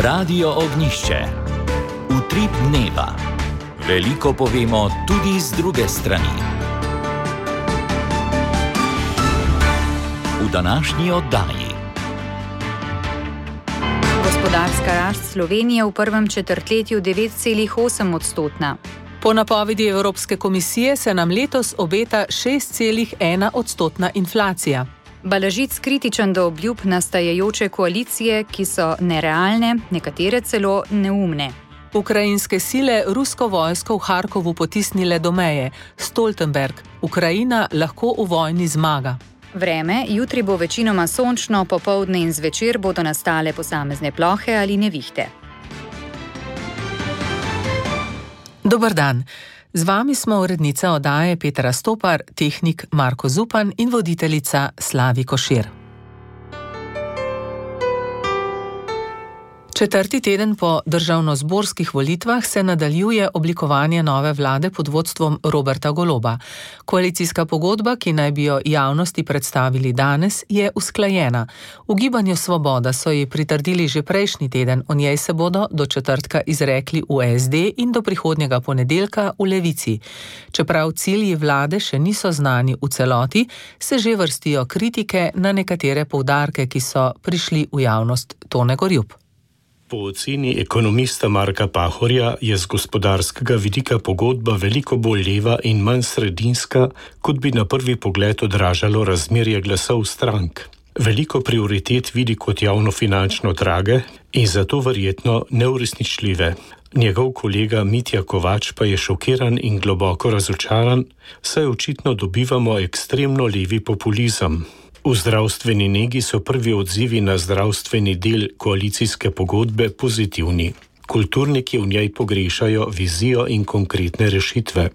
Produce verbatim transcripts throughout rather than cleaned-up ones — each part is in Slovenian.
Radio Ognjišče. Utrip dneva. Veliko povemo tudi z druge strani. V današnji oddaji. Gospodarska rast Slovenije v prvem četrtletju devet celih osem odstotna. Po napovedi Evropske komisije se nam letos obeta šest celih ena odstotna inflacija. Balažic kritičen do obljub nastajajoče koalicije, ki so nerealne, nekatere celo neumne. Ukrajinske sile rusko vojsko v Harkovu potisnile do meje. Stoltenberg, Ukrajina lahko v vojni zmaga. Vreme, jutri bo večinoma sončno, popoldne in zvečer bodo nastale posamezne plohe ali nevihte. Dober dan. Z vami smo urednica oddaje Petra Stopar, tehnik Marko Zupan in voditeljica Slavi Košir. Četrti teden po državnozborskih volitvah se nadaljuje oblikovanje nove vlade pod vodstvom Roberta Goloba. Koalicijska pogodba, ki naj bi jo javnosti predstavili danes, je usklajena. V Gibanju Svoboda so ji pritrdili že prejšnji teden, o njej se bodo do četrtka izrekli v es de in do prihodnjega ponedeljka v Levici. Čeprav cilji vlade še niso znani v celoti, se že vrstijo kritike na nekatere poudarke, ki so prišli v javnost. Tone Gorjup. Po oceni ekonomista Marka Pahorja je z gospodarskega vidika pogodba veliko bolj leva in manj sredinska, kot bi na prvi pogled odražalo razmerje glasov strank. Veliko prioritet vidi kot javnofinančno drage in zato verjetno neuresničljive. Njegov kolega Mitja Kovač pa je šokiran in globoko razočaran, saj očitno dobivamo ekstremno levi populizem. V zdravstveni negi so prvi odzivi na zdravstveni del koalicijske pogodbe pozitivni. Kulturniki v njej pogrešajo vizijo in konkretne rešitve.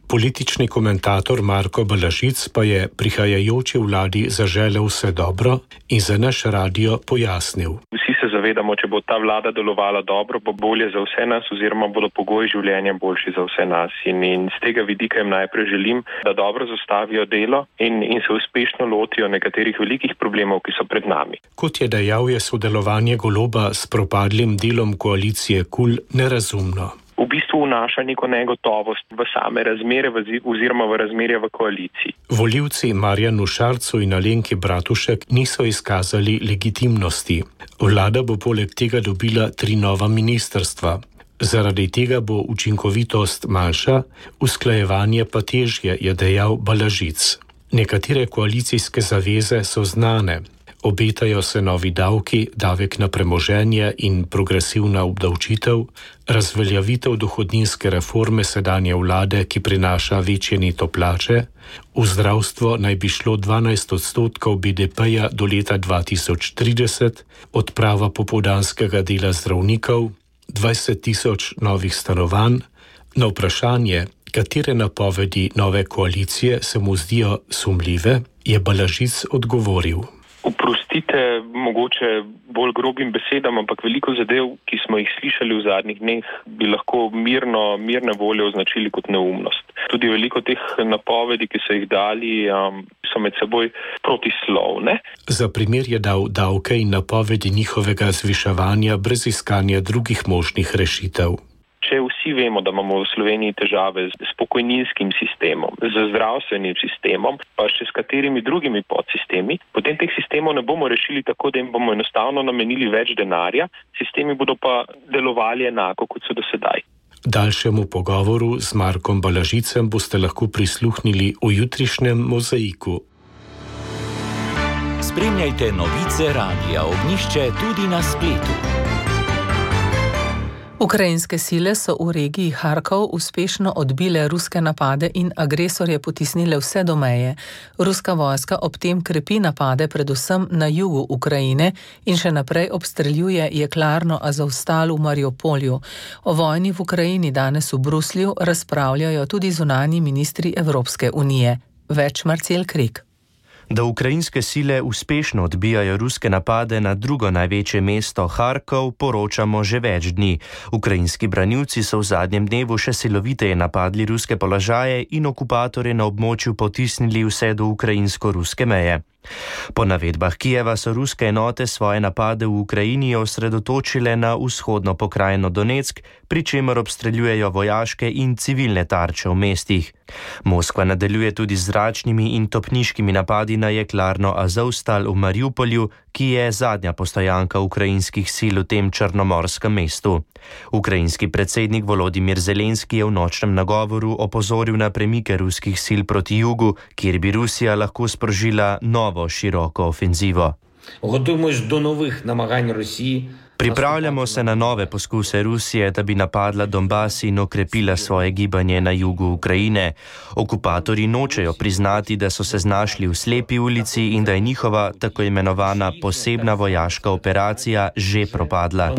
Politični komentator Marko Balažic pa je prihajajoči vladi zaželel vse dobro in za naš radio pojasnil. Vsi se zavedamo, če bo ta vlada delovala dobro, bo bolje za vse nas oziroma bodo pogoji življenja boljši za vse nas. In, in z tega vidika jim najprej želim, da dobro zastavijo delo in, in se uspešno lotijo nekaterih velikih problemov, ki so pred nami. Kot je dejal, je sodelovanje Goloba s propadlim delom koalicije KUL nerazumno. V bistvu vnaša neko negotovost v same razmere oziroma v razmerje v koaliciji. Volivci Marjanu Šarcu in Alenki Bratušek niso izkazali legitimnosti. Vlada bo poleg tega dobila tri nova ministrstva. Zaradi tega bo učinkovitost manjša, usklajevanje pa težje, je dejal Balažic. Nekatere koalicijske zaveze so znane. Obetajo se novi davki, davek na premoženje in progresivna obdavčitev, razveljavitev dohodninske reforme sedanje vlade, ki prinaša večje neto plače, v zdravstvo naj bi šlo dvanajst odstotkov be de peja do leta dva tisoč trideset, odprava popoldanskega dela zdravnikov, dvajset tisoč novih stanovanj. Na vprašanje, katere napovedi nove koalicije se mu zdijo sumljive, je Balažic odgovoril. Oprostite, mogoče bolj grobim besedam, ampak veliko zadev, ki smo jih slišali v zadnjih dneh, bi lahko mirno, mirne volje označili kot neumnost. Tudi veliko teh napovedi, ki so jih dali, um, so med seboj protislovne. Za primer je dal davke in napovedi njihovega zviševanja brez iskanja drugih možnih rešitev. Če vsi vemo, da imamo v Sloveniji težave s pokojninskim sistemom, z zdravstvenim sistemom, pa še s katerimi drugimi podsistemi, potem teh sistemov ne bomo rešili tako, da jim bomo enostavno namenili več denarja, sistemi bodo pa delovali enako, kot so do sedaj. Daljšemu pogovoru z Markom Balažicem boste lahko prisluhnili v jutrišnjem Mozaiku. Spremljajte novice Radia Ognjišče tudi na spletu. Ukrajinske sile so v regiji Harkov uspešno odbile ruske napade in agresorje potisnile vse do meje. Ruska vojska ob tem krepi napade predvsem na jugu Ukrajine in še naprej obstreljuje jeklarno Azovstal v Mariupolju. O vojni v Ukrajini danes v Bruslju razpravljajo tudi zunanji ministri Evropske unije. Več Marcel Krik. Da ukrajinske sile uspešno odbijajo ruske napade na drugo največje mesto Harkov, poročamo že več dni. Ukrajinski branilci so v zadnjem dnevu še siloviteje napadli ruske položaje in okupatorje na območju potisnili vse do ukrajinsko-ruske meje. Po navedbah Kijeva so ruske enote svoje napade v Ukrajini osredotočile na vzhodno pokrajino Donetsk, pri čemer obstreljujejo vojaške in civilne tarče v mestih. Moskva nadaljuje tudi z zračnimi in topniškimi napadi na jeklarno Azovstal v Mariupolju, ki je zadnja postojanka ukrajinskih sil v tem črnomorskem mestu. Ukrajinski predsednik Volodimir Zelenski je v nočnem nagovoru opozoril na premike ruskih sil proti jugu, kjer bi Rusija lahko sprožila novo široko ofenzivo. Pripravljamo se na nove poskuse Rusije, da bi napadla Donbas in okrepila svoje gibanje na jugu Ukrajine. Okupatorji nočejo priznati, da so se znašli v slepi ulici in da je njihova tako imenovana posebna vojaška operacija že propadla.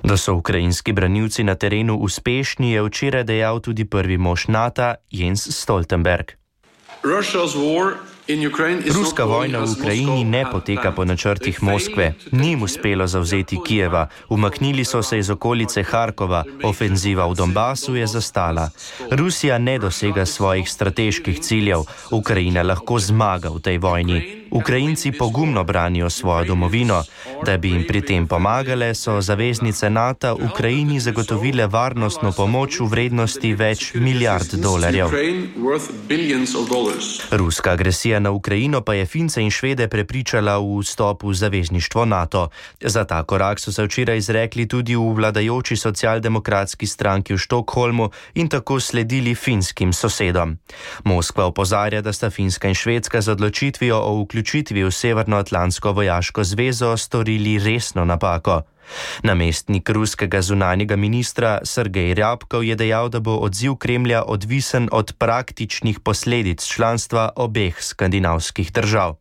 Da so ukrajinski branilci na terenu uspešni, je včeraj dejal tudi prvi mož NATO Jens Stoltenberg. Ruska vojna v Ukrajini ne poteka po načrtih Moskve. Ni jim uspelo zavzeti Kijeva. Umaknili so se iz okolice Harkova. Ofenziva v Donbasu je zastala. Rusija ne dosega svojih strateških ciljev. Ukrajina lahko zmaga v tej vojni. Ukrajinci pogumno branijo svojo domovino. Da bi jim pri tem pomagale, so zaveznice NATO Ukrajini zagotovile varnostno pomoč v vrednosti več milijard dolarjev. Ruska agresija na Ukrajino pa je Fince in Švede prepričala v vstop v zavezništvo NATO. Za ta korak so se včeraj izrekli tudi v vladajoči socialdemokratski stranki v Štokholmu in tako sledili finskim sosedom. Moskva opozarja, da sta Finska in Švedska z odločitvijo o vključitvi v Severnoatlantsko vojaško zvezo storili resno napako. Namestnik ruskega zunanjega ministra Sergej Ryabkov je dejal, da bo odziv Kremlja odvisen od praktičnih posledic članstva obeh skandinavskih držav.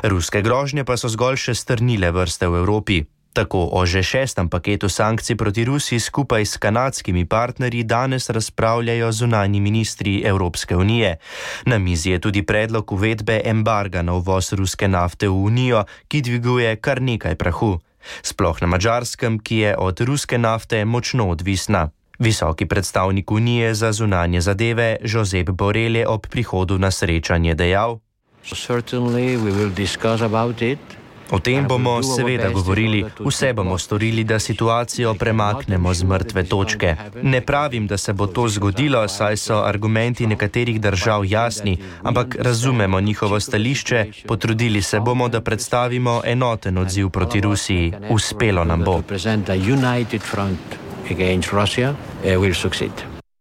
Ruske grožnje pa so zgolj še strnile vrste v Evropi. Tako o že šestem paketu sankcij proti Rusiji skupaj s kanadskimi partnerji danes razpravljajo zunanji ministri Evropske unije. Na mizi je tudi predlog uvedbe embarga na uvoz ruske nafte v Unijo, ki dviguje kar nekaj prahu. Sploh na Madžarskem, ki je od ruske nafte močno odvisna. Visoki predstavnik Unije za zunanje zadeve Josep Borrell je ob prihodu na srečanje dejal: O tem bomo seveda govorili, vse bomo storili, da situacijo premaknemo z mrtve točke. Ne pravim, da se bo to zgodilo, saj so argumenti nekaterih držav jasni, ampak razumemo njihovo stališče, potrudili se bomo, da predstavimo enoten odziv proti Rusiji. Uspelo nam bo.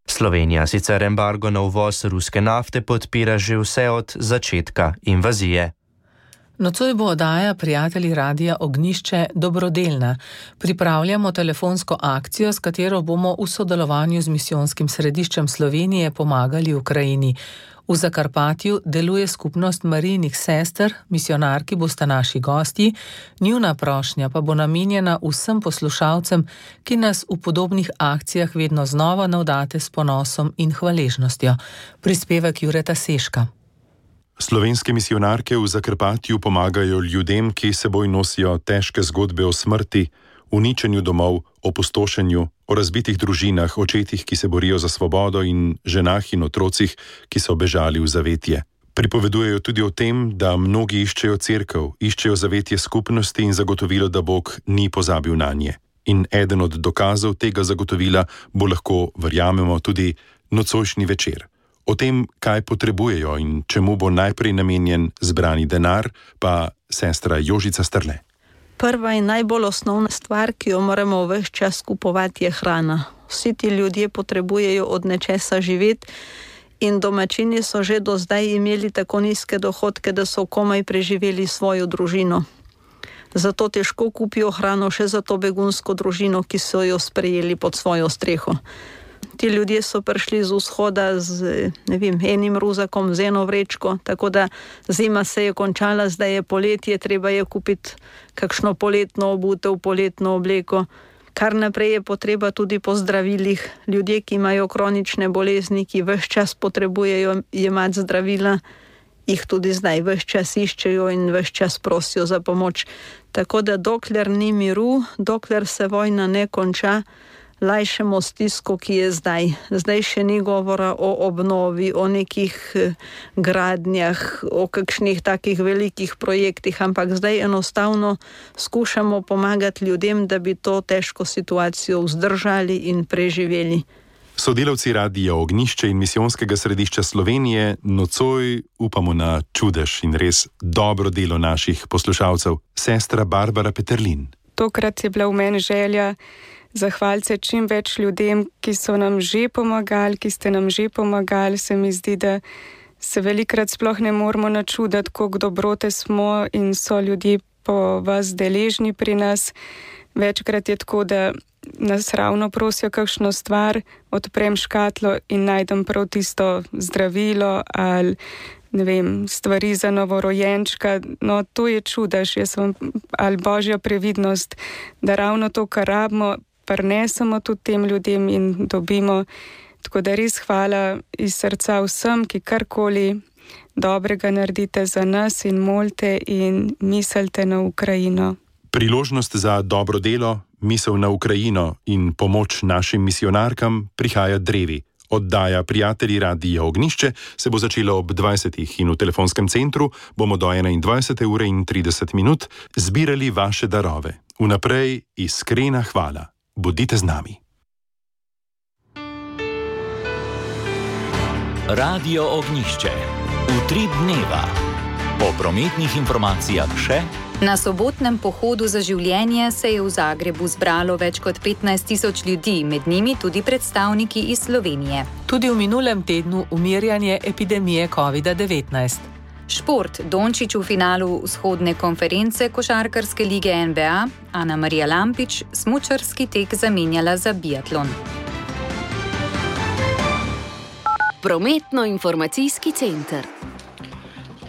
Slovenija sicer embargo na uvoz ruske nafte podpira že vse od začetka invazije. Nocoj bo oddaja Prijatelji radia Ognjišče dobrodelna. Pripravljamo telefonsko akcijo, s katero bomo v sodelovanju z misijonskim središčem Slovenije pomagali Ukrajini. V Zakarpatju deluje skupnost Marijinih sester, misionarki bosta naši gostji, njuna prošnja pa bo namenjena vsem poslušalcem, ki nas v podobnih akcijah vedno znova navdate s ponosom in hvaležnostjo. Prispevek Jureta Seška. Slovenske misijonarke v Zakrpatju pomagajo ljudem, ki seboj nosijo težke zgodbe o smrti, uničenju domov, opustošenju, o razbitih družinah, očetih, ki se borijo za svobodo in ženah in otrocih, ki so bežali v zavetje. Pripovedujejo tudi o tem, da mnogi iščejo cerkev, iščejo zavetje skupnosti in zagotovilo, da Bog ni pozabil nanje. In eden od dokazov tega zagotovila bo lahko, verjamemo, tudi nocojšnji večer. O tem, kaj potrebujejo in čemu bo najprej namenjen zbrani denar, pa sestra Jožica Strle. Prva in najbolj osnovna stvar, ki jo moramo ves čas kupovati, je hrana. Vsi ti ljudje potrebujejo od nečesa živeti in domačini so že do zdaj imeli tako nizke dohodke, da so komaj preživeli svojo družino. Zato težko kupijo hrano še za to begunsko družino, ki so jo sprejeli pod svojo streho. Ti ljudje so prišli z vzhoda z ne vem, enim ruzakom, z eno vrečko, tako da zima se je končala, zdaj je poletje, treba je kupiti kakšno poletno obutev, poletno obleko. Kar naprej je potreba tudi po zdravilih. Ljudje, ki imajo kronične bolezni, ki ves čas potrebujejo jemati zdravila, jih tudi zdaj ves čas iščejo in ves čas prosijo za pomoč. Tako da dokler ni miru, dokler se vojna ne konča, lajšamo stisko, ki je zdaj. Zdaj še ni govora o obnovi, o nekih gradnjah, o kakšnih takih velikih projektih, ampak zdaj enostavno skušamo pomagati ljudem, da bi to težko situacijo vzdržali in preživeli. Sodelavci Radia Ognjišče in Misijonskega središča Slovenije nocoj upamo na čudež in res dobro delo naših poslušalcev. Sestra Barbara Peterlin. Tokrat je bila v meni želja zahvaliti se čim več ljudem, ki so nam že pomagali, ki ste nam že pomagali. Se mi zdi, da se velikrat sploh ne moramo načuditi, koliko dobrote smo in so ljudje po vas deležni pri nas. Večkrat je tako, da nas ravno prosijo kakšno stvar, odprem škatlo in najdem prav tisto zdravilo ali ne vem, stvari za novorojenčka. No, to je čudež, jaz sem, ali božja previdnost, da ravno to, kar rabimo, prinesemo tudi tem ljudem in dobimo. Tako da res hvala iz srca vsem, ki karkoli dobrega naredite za nas in molite in mislite na Ukrajino. Priložnost za dobro delo, misel na Ukrajino in pomoč našim misijonarkam prihaja drevi. Oddaja Prijatelji Radia Ognjišče se bo začela ob dvajsetih in v telefonskem centru bomo do enaindvajsete ure in trideset minut zbirali vaše darove. Vnaprej iskrena hvala. Bodite z nami. Radio Ognjišče. Utrip dneva. Po prometnih informacijah še. Na sobotnem pohodu za življenje se je v Zagrebu zbralo več kot petnajst tisoč ljudi, med njimi tudi predstavniki iz Slovenije. Tudi v minulem tednu umirjanje epidemije kovida devetnajst. Šport. Dončić v finalu vzhodne konference košarkarske lige N B A, Ana Marija Lampič smučarski tek zamenjala za biatlon. Prometno-informacijski center.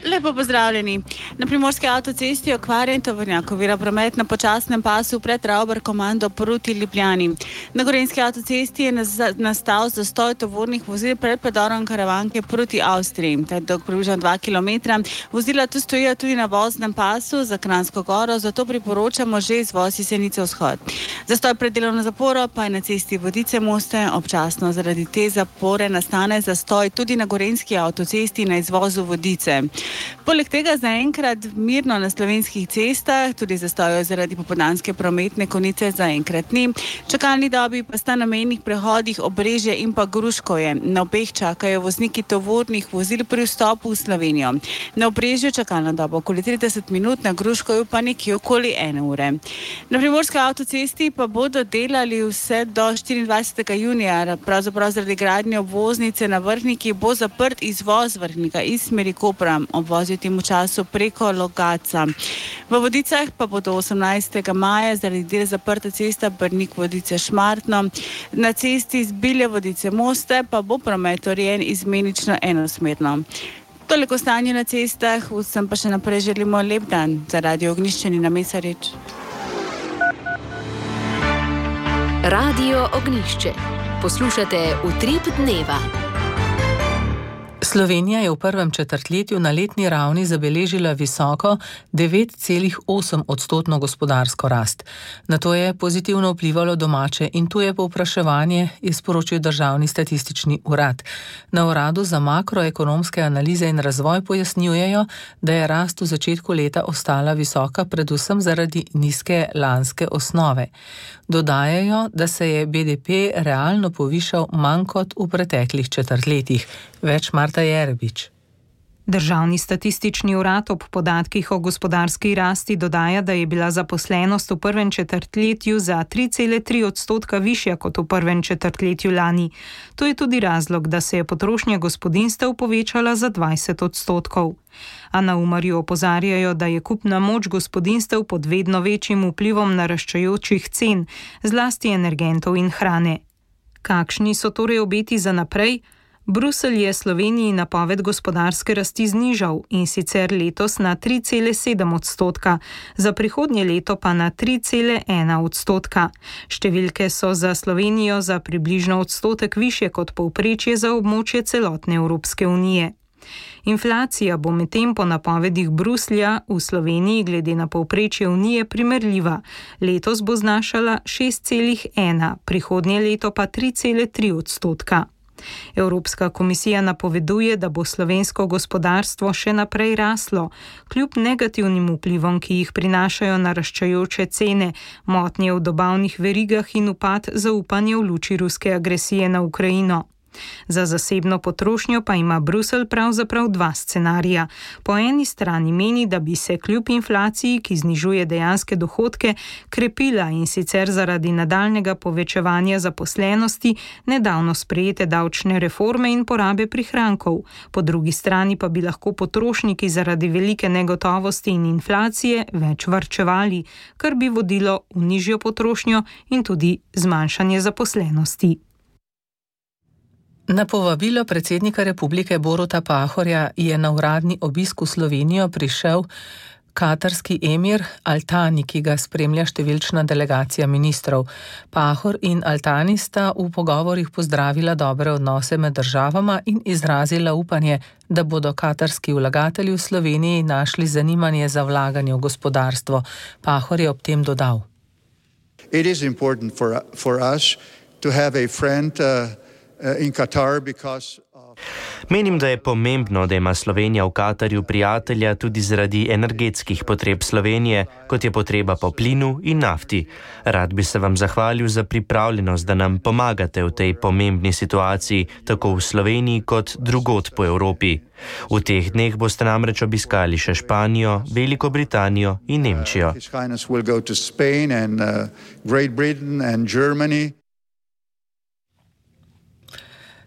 Lepo pozdravljeni. Na primorski avtocesti okvarjen tovornjak ovira promet na počasnem pasu pred Ravbar komando proti Ljubljani. Na gorenjski avtocesti je nastal zastoj tovornih vozil pred predorom Karavanke proti Avstriji. Ta je dolg približno dva kilometra. Vozila tu stojijo tudi na voznem pasu za Kranjsko goro, zato priporočamo že izvoz iz Jesenice vzhod. Zastoj pred delovno zaporo pa je na cesti Vodice-Moste. Občasno zaradi te zapore nastane zastoj tudi na gorenjski avtocesti na izvozu Vodice. Poleg tega zaenkrat mirno na slovenskih cestah, tudi zastojo zaradi popoldanske prometne konice zaenkrat ni. Čakalni dobi pa sta na mejnih prehodih Obrežje in pa Gruškovje. Na obeh čakajo vozniki tovornih vozil pri vstopu v Slovenijo. Na Obrežju čakalna doba okoli trideset minut, na Gruškovju pa nekje okoli ene ure. Na primorski avtocesti pa bodo delali vse do štiriindvajsetega junija. Pravzaprav zaradi gradnje obvoznice na Vrhniki bo zaprt izvoz Vrhnika iz smeri Kopra. Obvozijo temu času preko Logatca. V Vodicah pa bo do osemnajstega maja zaradi del zaprta cesta Brnik-Vodice-Šmartno. Na cesti z Bilje-Vodice-Moste pa bo promet urejen izmenično enosmerno. Toliko stanje na cestah, vsem pa še naprej želimo lep dan. Za Radio Ognjišče na Mesarič. Radio Ognjišče. Poslušate Utrip dneva. Slovenija je v prvem četrtletju na letni ravni zabeležila visoko devet celih osem odstotno gospodarsko rast. Na to je pozitivno vplivalo domače in tuje povpraševanje, je sporočil Državni statistični urad. Na uradu za makroekonomske analize in razvoj pojasnjujejo, da je rast v začetku leta ostala visoka predvsem zaradi nizke lanske osnove. Dodajajo, da se je B D P realno povišal manj kot v preteklih četrtletjih. Več Marta Jerebič. Državni statistični urad ob podatkih o gospodarski rasti dodaja, da je bila zaposlenost v prvem četrtletju za tri cele tri odstotka višja kot v prvem četrtletju lani. To je tudi razlog, da se je potrošnja gospodinjstev povečala za dvajset odstotkov. A na Umarju opozarjajo, da je kupna moč gospodinjstev pod vedno večjim vplivom naraščajočih cen, zlasti energentov in hrane. Kakšni so torej obeti za naprej? Bruselj je Sloveniji napoved gospodarske rasti znižal in sicer letos na tri cele sedem odstotka, za prihodnje leto pa na tri cele ena odstotka. Številke so za Slovenijo za približno odstotek višje kot povprečje za območje celotne Evropske unije. Inflacija bo medtem po napovedih Bruslja v Sloveniji glede na povprečje Unije primerljiva. Letos bo znašala šest celih ena, prihodnje leto pa tri cele tri odstotka. Evropska komisija napoveduje, da bo slovensko gospodarstvo še naprej raslo, kljub negativnim vplivom, ki jih prinašajo naraščajoče cene, motnje v dobavnih verigah in upad zaupanja v luči ruske agresije na Ukrajino. Za zasebno potrošnjo pa ima Bruselj pravzaprav dva scenarija. Po eni strani meni, da bi se kljub inflaciji, ki znižuje dejanske dohodke, krepila in sicer zaradi nadaljnega povečevanja zaposlenosti, nedavno sprejete davčne reforme in porabe prihrankov. Po drugi strani pa bi lahko potrošniki zaradi velike negotovosti in inflacije več varčevali, kar bi vodilo v nižjo potrošnjo in tudi zmanjšanje zaposlenosti. Na povabilo predsednika republike Boruta Pahorja je na uradni obisk v Slovenijo prišel katarski emir Al-Thani, ki ga spremlja številčna delegacija ministrov. Pahor in Al-Thani sta v pogovorih pozdravila dobre odnose med državama in izrazila upanje, da bodo katarski vlagatelji v Sloveniji našli zanimanje za vlaganje v gospodarstvo. Pahor je ob tem dodal: It is important for, for us to have a friend uh... Menim, da je pomembno, da ima Slovenija v Katarju prijatelja tudi zaradi energetskih potreb Slovenije, kot je potreba po plinu in nafti. Rad bi se vam zahvalil za pripravljenost, da nam pomagate v tej pomembni situaciji, tako v Sloveniji kot drugod po Evropi. V teh dneh boste namreč obiskali še Španijo, Veliko Britanijo in Nemčijo.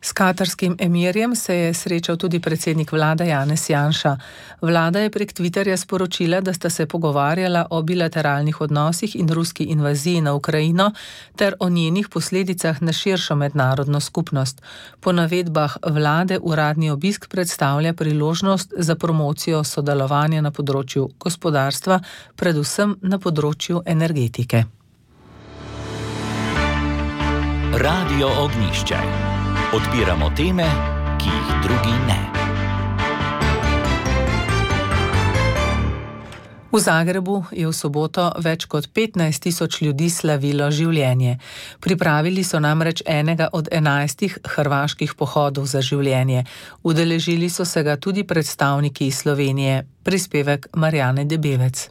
S katarskim emirjem se je srečal tudi predsednik vlade Janez Janša. Vlada je prek Twitterja sporočila, da sta se pogovarjala o bilateralnih odnosih in ruski invaziji na Ukrajino ter o njenih posledicah na širšo mednarodno skupnost. Po navedbah vlade uradni obisk predstavlja priložnost za promocijo sodelovanja na področju gospodarstva, predvsem na področju energetike. Radio Ognjišče. Odpiramo teme, ki jih drugi ne. V Zagrebu je v soboto več kot petnajst tisoč ljudi slavilo življenje. Pripravili so namreč enega od enajstih hrvaških pohodov za življenje. Udeležili so se ga tudi predstavniki iz Slovenije. Prispevek Marjane Debevec.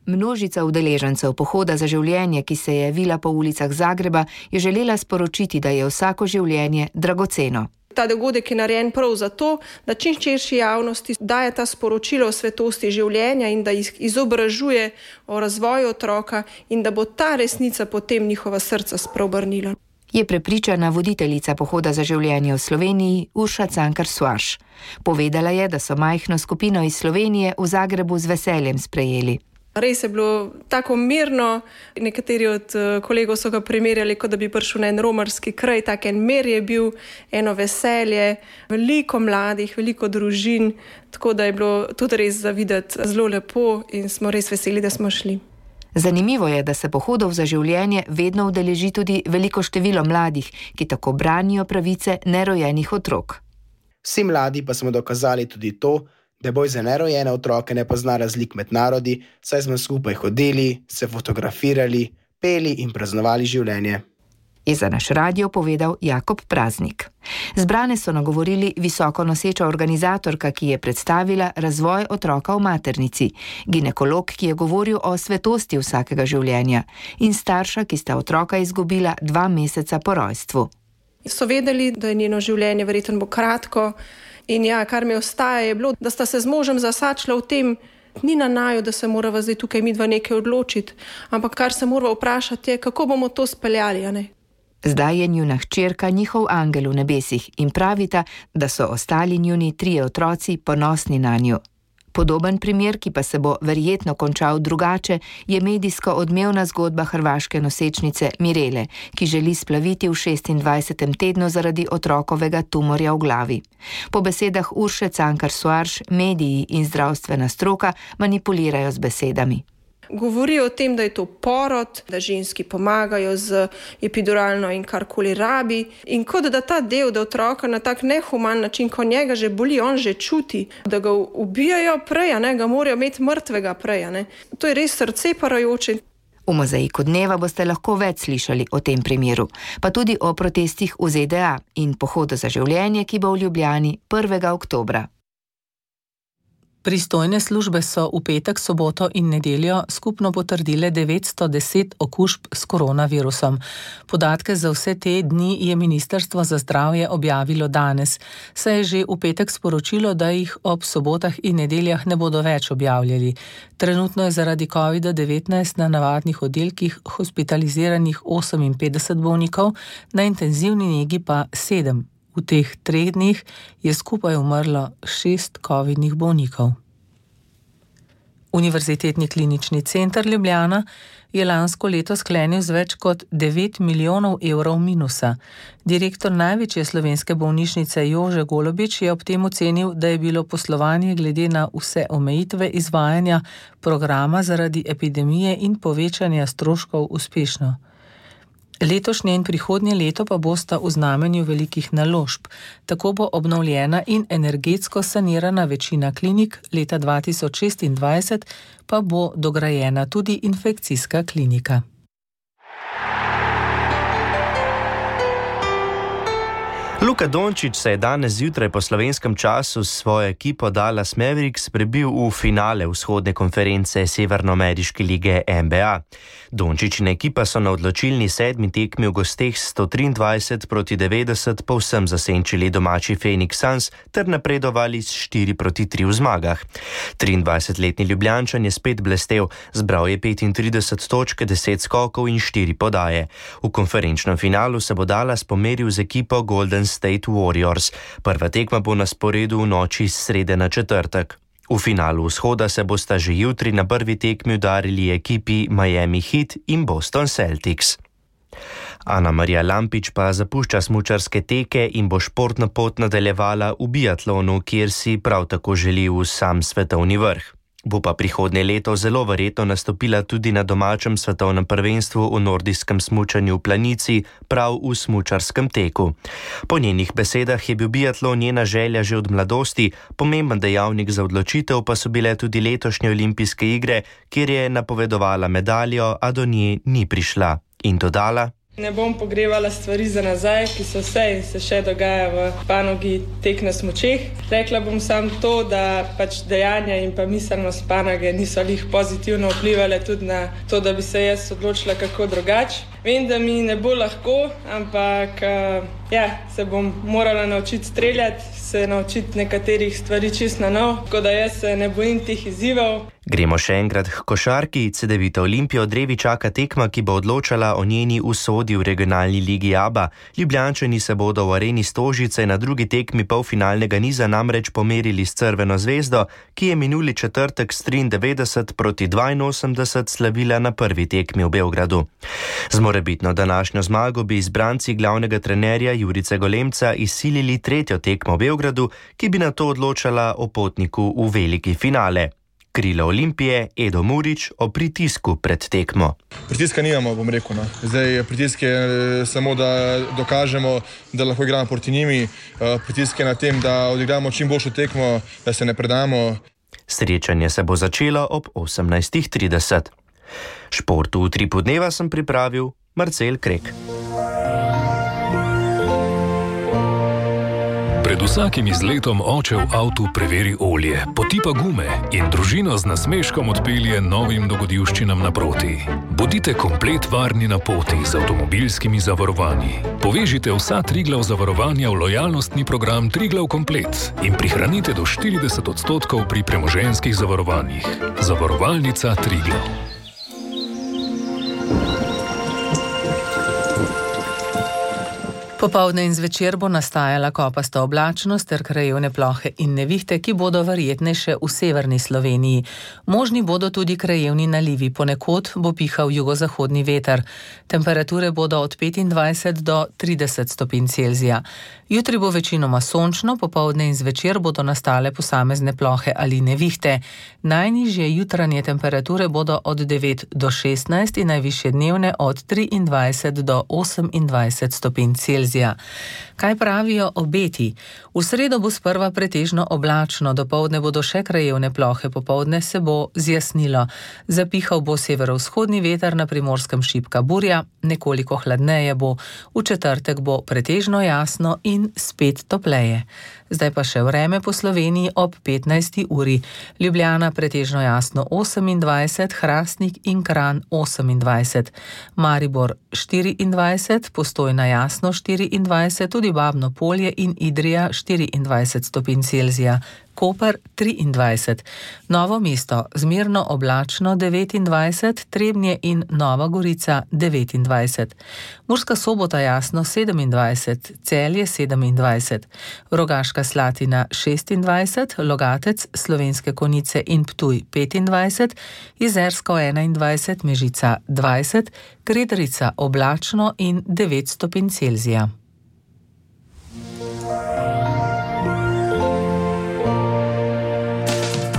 Množica udeležencev pohoda za življenje, ki se je vila po ulicah Zagreba, je želela sporočiti, da je vsako življenje dragoceno. Ta dogodek je narejen prav zato, da čim širši javnosti daje ta sporočilo o svetosti življenja in da jih izobražuje o razvoju otroka in da bo ta resnica potem njihova srca spreobrnila. Je prepričana voditeljica pohoda za življenje v Sloveniji Urša Cankar-Suarš. Povedala je, da so majhno skupino iz Slovenije v Zagrebu z veseljem sprejeli. Res je bilo tako mirno, nekateri od kolegov so ga primerjali, kot da bi prišel na en romarski kraj, tak en mir je bil, eno veselje, veliko mladih, veliko družin, tako da je bilo tudi res za videti zelo lepo in smo res veseli, da smo šli. Zanimivo je, da se pohodov za življenje vedno udeleži tudi veliko število mladih, ki tako branijo pravice nerojenih otrok. Vsi mladi pa smo dokazali tudi to, da boj za nerojene otroke ne pozna razlik med narodi, saj smo skupaj hodili, se fotografirali, peli in praznovali življenje. Je za naš radio povedal Jakob Praznik. Zbrane so nagovorili visoko noseča organizatorka, ki je predstavila razvoj otroka v maternici, ginekolog, ki je govoril o svetosti vsakega življenja in starša, ki sta otroka izgubila dva meseca po rojstvu. So vedeli, da je njeno življenje verjetno bo kratko, in ja, kar mi ostaja je bilo, da sta se z možem zasačila v tem, ni na naju, da se morava zdaj tukaj midva nekaj odločiti, ampak kar se morava vprašati je, kako bomo to speljali, a ne? Zdaj je njuna hčerka njihov angel v nebesih in pravita, da so ostali njuni trije otroci ponosni na njo. Podoben primer, ki pa se bo verjetno končal drugače, je medijsko odmevna zgodba hrvaške nosečnice Mirele, ki želi splaviti v šestindvajsetem tednu zaradi otrokovega tumorja v glavi. Po besedah Urše Cankar-Suarš, mediji in zdravstvena stroka manipulirajo z besedami. govori o tem, da je to porod, da ženski pomagajo z epiduralno in karkoli rabi. In kot da ta del, da otroka na tak nehuman način, ko njega že boli, on že čuti, da ga ubijajo prej, ne, ga morajo imeti mrtvega prej. Ne. To je res srce parajoče. V Mozaiku dneva boste lahko več slišali o tem primeru, pa tudi o protestih v Z D A in pohodu za življenje, ki bo v Ljubljani prvega oktobra. Pristojne službe so v petek, soboto in nedeljo skupno potrdile devetsto deset okužb s koronavirusom. Podatke za vse te dni je Ministrstvo za zdravje objavilo danes. Se je že v petek sporočilo, da jih ob sobotah in nedeljah ne bodo več objavljali. Trenutno je zaradi covid devetnajst na navadnih oddelkih hospitaliziranih oseminpetdeset bolnikov, na intenzivni negi pa sedem. V teh treh dneh je skupaj umrlo šest covidnih bolnikov. Univerzitetni klinični center Ljubljana je lansko leto sklenil z več kot devet milijonov evrov minusa. Direktor največje slovenske bolnišnice Jože Golobič je ob tem ocenil, da je bilo poslovanje glede na vse omejitve izvajanja programa zaradi epidemije in povečanja stroškov uspešno. Letošnje in prihodnje leto pa bosta v znamenju velikih naložb. Tako bo obnovljena in energetsko sanirana večina klinik, leta dva tisoč šestindvajset pa bo dograjena tudi infekcijska klinika. Luka Dončić se je danes zjutraj po slovenskem času s svojo ekipo Dallas Mavericks prebil v finale vzhodne konference Severnoameriške lige N B A. Dončić in ekipa so na odločilni sedmi tekmi v gosteh sto triindvajset proti devetdeset povsem zasenčili domači Phoenix Suns ter napredovali s štiri proti tri v zmagah. triindvajsetletni Ljubljančan je spet blestel, zbral je petintrideset točk, deset skokov in štiri podaje. V konferenčnem finalu se bo Dallas pomeril z ekipo Golden State Warriors. Prva tekma bo na sporedu v noči s srede na četrtek. V finalu vzhoda se bosta že jutri na prvi tekmi udarili ekipi Miami Heat in Boston Celtics. Ana Marija Lampič pa zapušča smučarske teke in bo športno pot nadaljevala v biatlonu, kjer si prav tako želi v sam svetovni vrh. Bo pa prihodnje leto zelo verjetno nastopila tudi na domačem svetovnem prvenstvu v nordijskem smučanju v Planici, prav v smučarskem teku. Po njenih besedah je bil biatlon njena želja že od mladosti, pomemben dejavnik za odločitev pa so bile tudi letošnje olimpijske igre, kjer je napovedovala medaljo, a do nje ni prišla. In dodala: Ne bom pogrevala stvari za nazaj, ki so se in se še dogaja v panogi tek na smučeh. Rekla bom samo to, da pač dejanja in pa miselnost panoge niso lih pozitivno vplivale tudi na to, da bi se jaz odločila kako drugače. Vem, da mi ne bo lahko, ampak ja, se bom morala naučiti streljati, se naučiti nekaterih stvari čisto na nov, tako da jaz se ne bojim teh izzivov. Gremo še enkrat k košarki. Cedevita Olimpijo drevi čaka tekma, ki bo odločala o njeni usodi v regionalni ligi A B A. Ljubljančani se bodo v areni Stožice na drugi tekmi polfinalnega niza namreč pomerili s Crveno zvezdo, ki je minuli četrtek s triindevetdeset proti dvainosemdeset slavila na prvi tekmi v Beogradu. Z morebitno današnjo zmago bi izbranci glavnega trenerja Jurice Golemca izsilili tretjo tekmo v Beogradu, ki bi nato odločala o potniku v veliki finale. Krilo Olimpije, Edo Murić, o pritisku pred tekmo. Pritiska nimamo, bom rekel. No. Zdaj pritisk je samo, da dokažemo, da lahko igramo proti njimi. Pritisk je na tem, da odigramo čim boljšo tekmo, da se ne predamo. Srečanje se bo začelo ob osemnajst trideset. Športu v Utripu dneva sem pripravil Marcel Krek. Pred vsakim izletom oče v avtu preveri olje, potipa gume in družino z nasmeškom odpelje novim dogodivščinam naproti. Bodite komplet varni na poti z avtomobilskimi zavarovanji. Povežite vsa Triglav zavarovanja v lojalnostni program Triglav Komplet in prihranite do štirideset odstotkov pri premoženjskih zavarovanjih. Zavarovalnica Triglav. Popoldne in zvečer bo nastajala kopasta oblačnost ter krajevne plohe in nevihte, ki bodo verjetnejše v severni Sloveniji. Možni bodo tudi krajevni nalivi, ponekod bo pihal jugozahodni veter. Temperature bodo od petindvajset do trideset stopinj Celzija. Jutri bo večinoma sončno, popoldne in zvečer bodo nastale posamezne plohe ali nevihte. Najnižje jutranje temperature bodo od devet do šestnajst in najvišje dnevne od triindvajset do osemindvajset stopinj Celzija. Kaj pravijo obeti? V sredo bo sprva pretežno oblačno, dopoldne bodo še krajevne plohe, popoldne se bo zjasnilo. Zapihal bo severovzhodni veter, na Primorskem šibka burja, nekoliko hladneje bo. V četrtek bo pretežno jasno in spet topleje. Zdaj pa še vreme po Sloveniji ob petnajsti uri. Ljubljana pretežno jasno osemindvajset, Hrastnik in Kranj osemindvajset, Maribor štiriindvajset, Postojna jasno štiriindvajset, tudi Babno Polje in Idrija štiriindvajset stopinj Celzija. Koper triindvajset, Novo mesto zmerno oblačno devetindvajset, Trebnje in Nova Gorica devetindvajset, Murska Sobota jasno sedemindvajset, Celje sedemindvajset, Rogaška Slatina šestindvajset, Logatec, Slovenske Konjice in Ptuj petindvajset, Jezersko enaindvajset, Mežica dvajset, Kredarica oblačno in devet stopinj Celzija.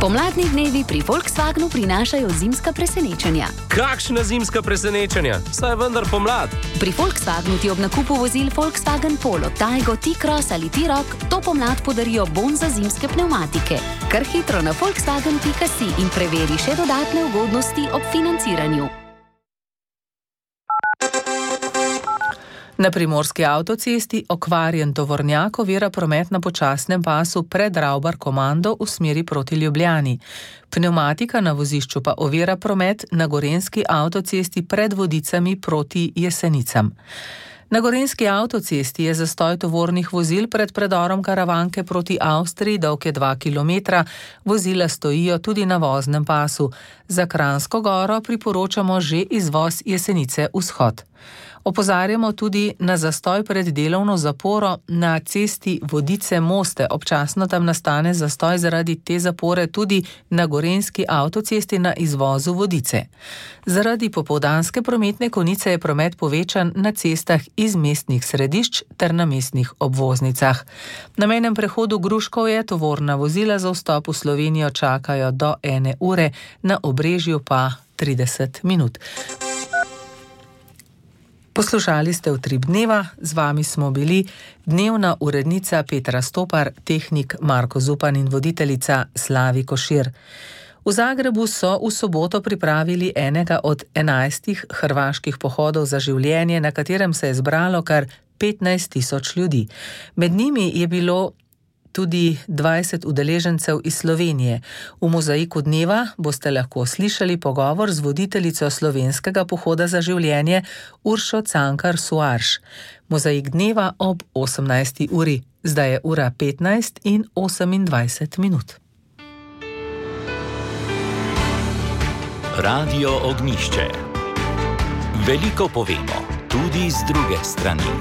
Pomladni dnevi pri Volkswagenu prinašajo zimska presenečenja. Kakšna zimska presenečenja? Saj vendar pomlad. Pri Volkswagenu ti ob nakupu vozil Volkswagen Polo, Taigo, T-Cross ali T-Roc to pomlad podarijo bon za zimske pnevmatike. Kar hitro na volkswagen pika si in preveri še dodatne ugodnosti ob financiranju. Na Primorski avtocesti okvarjen tovornjak ovira promet na počasnem pasu pred Ravbar komando v smeri proti Ljubljani. Pnevmatika na vozišču pa ovira promet na Gorenjski avtocesti pred Vodicami proti Jesenicam. Na Gorenjski avtocesti je zastoj tovornih vozil pred predorom Karavanke proti Avstriji dolge dva kilometra, vozila stojijo tudi na voznem pasu. Za Kranjsko goro priporočamo že izvoz Jesenice vzhod. Opozarjamo tudi na zastoj pred delovno zaporo na cesti Vodice-Moste. Občasno tam nastane zastoj zaradi te zapore tudi na Gorenjski avtocesti na izvozu Vodice. Zaradi popoldanske prometne konice je promet povečan na cestah iz mestnih središč ter na mestnih obvoznicah. Na mejnem prehodu Gruškovje tovorna vozila za vstop v Slovenijo čakajo do ene ure, na Obrežju pa trideset minut. Poslušali ste Utrip dneva, z vami smo bili dnevna urednica Petra Stopar, tehnik Marko Zupan in voditeljica Slavi Košir. V Zagrebu so v soboto pripravili enega od enajstih hrvaških pohodov za življenje, na katerem se je zbralo kar petnajst tisoč ljudi. Med njimi je bilo tudi dvajset udeležencev iz Slovenije. V mozaiku dneva boste lahko slišali pogovor z voditeljico slovenskega pohoda za življenje Uršo Cankar Suarš. Mozaik dneva ob osemnajsti uri. Zdaj je ura petnajst in osemindvajset minut. Radio Ognišče. Veliko povemo, tudi z druge strani.